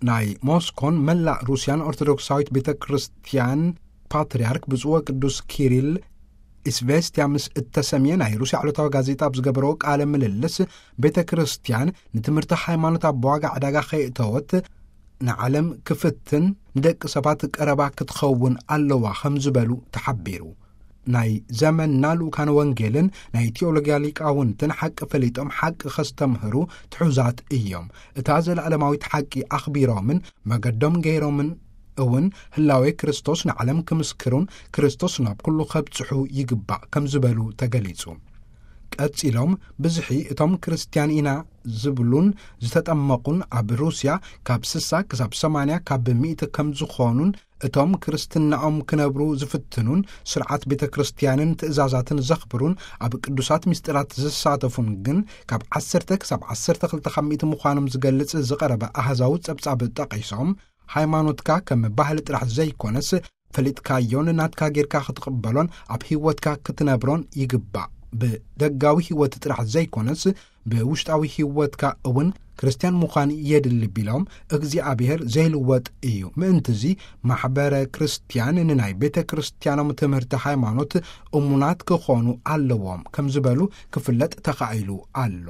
ናይ ሞስኮን መላእ ሩስያን ኦርቶዶክሳዊት ቤተ ክርስቲያን ፓትርያርክ ብፁዕ ወቅዱስ ኪሪል ኢስቬስትያ ምስ እተሰምየ ናይ ሩስያ ዕለታዊ ጋዜጣ ኣብ ዝገበረዎ ቃለ ምልልስ፣ ቤተ ክርስቲያን ንትምህርቲ ሃይማኖት ኣብ ዋጋ ዕዳጋ ከየእተወት ንዓለም ክፍትን ንደቂ ሰባት ቀረባ ክትኸውን ኣለዋ ከም ዝበሉ ተሓቢሩ። ናይ ዘመንና ልኡካን ወንጌልን ናይ ቴዎሎጊያ ሊቃውንትን ሓቂ ፈሊጦም ሓቂ ከስተምህሩ ትሑዛት እዮም። እታ ዘለዓለማዊት ሓቂ ኣኽቢሮምን መገዶም ገይሮምን እውን ህላዌ ክርስቶስ ንዓለም ክምስክሩን ክርስቶስ ናብ ኩሉ ከብጽሑ ይግባእ ከም ዝበሉ ተገሊጹ። ቀጺሎም ብዝሒ እቶም ክርስትያን ኢና ዝብሉን ዝተጠመቑን ኣብ ሩስያ ካብ ስሳ ክሳብ ሰማንያ ካብ ሚእቲ ከም ዝኾኑን እቶም ክርስትናኦም ክነብሩ ዝፍትኑን ስርዓት ቤተ ክርስቲያንን ትእዛዛትን ዘኽብሩን ኣብ ቅዱሳት ምስጢራት ዝሳተፉን ግን ካብ ዓሰርተ ክሳብ ዓሰርተ ክልተ ካብ ሚእቲ ምዃኖም ዝገልጽ ዝቐረበ ኣሃዛዊ ጸብጻብ ጠቒሶም፣ ሃይማኖትካ ከም ባህሊ ጥራሕ ዘይኮነስ ፈሊጥካዮን ናትካ ጌርካ ክትቕበሎን ኣብ ህይወትካ ክትነብሮን ይግባእ። ብደጋዊ ህይወት ጥራሕ ዘይኮነስ ብውሽጣዊ ህይወትካ እውን ክርስትያን ምዃን የድሊ ቢሎም፣ እግዚኣብሔር ዘይልወጥ እዩ። ምእንትዚ ማሕበረ ክርስትያን ንናይ ቤተ ክርስትያኖም ትምህርቲ ሃይማኖት እሙናት ክኾኑ ኣለዎም ከም ዝበሉ ክፍለጥ ተኻኢሉ ኣሎ።